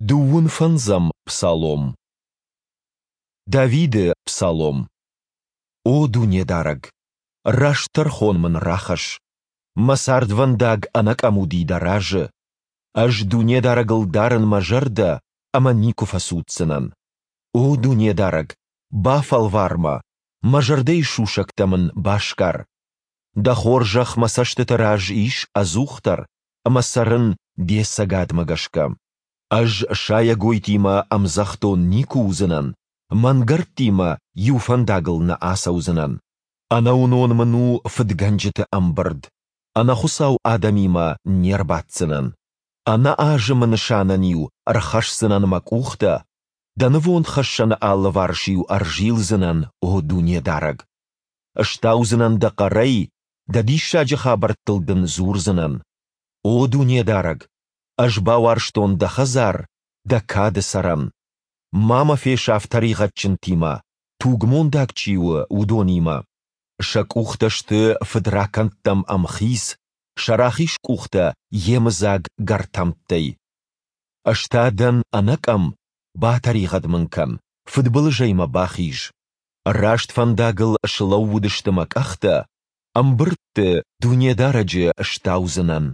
Дыууын фӕндзӕм псалом. Давиды псалом. О Дунедарӕг, раст тӕрхон мын рахӕсс! Мӕ цардвӕндаг ӕнӕкъӕм уыди Дӕ разы. Ӕз Дунедарӕгыл дарын мӕ зӕрдӕ ӕмӕ никуы фӕцуддзынӕн. О Дунедарӕг, бафӕлвар мӕ, мӕ зӕрдӕйы сусӕгтӕ мын басгар. Дӕ хорзӕх мӕ цӕстыты раз ис ӕдзухдӕр, ӕмӕ цӕрын Де цӕгадмӕ гӕсгӕ. Ӕз сайӕгойтимӕ ӕмдзӕхдон никуы уыдзынӕн, мӕнгӕрдтимӕ иу фӕндагыл нӕ ацӕудзынӕн. Ӕнӕуынон мын у фыдгӕнджыты ӕмбырд, ӕнӕхуыцау адӕмимӕ не рбаддзынӕн. Ӕнӕазымы нысанӕн-иу ӕрхӕсдзынӕн мӕ къухтӕ, Дӕ нывондхӕссӕны алыварс-иу ӕрзилдзынӕн, о Дунедарӕг. Стаудзынӕн Дӕ хъӕрӕй, Дӕ диссаджы хабӕрттыл Дын дзурдзынӕн. О Дунедарӕг, ӕз бауарзтон Дӕ хӕдзар, Дӕ кады цӕрӕн. Ма мӕ фесаф тӕригъӕдджынтимӕ, тугмондаг чи у, уыдонимӕ. Сӕ къухтӕ сты фыдракӕндтӕм ӕмхиц, сӕ рахиз къухтӕ йемыдзаг гӕртӕмттӕй. Ӕз та дӕн ӕнӕкъӕм, батӕригъӕд мын кӕн, фыдбылызӕй мӕ бахиз. Раст фӕндагыл слӕууыдысты мӕ къӕхтӕ, ӕмбырдты Дунедарӕджы стаудзынӕн.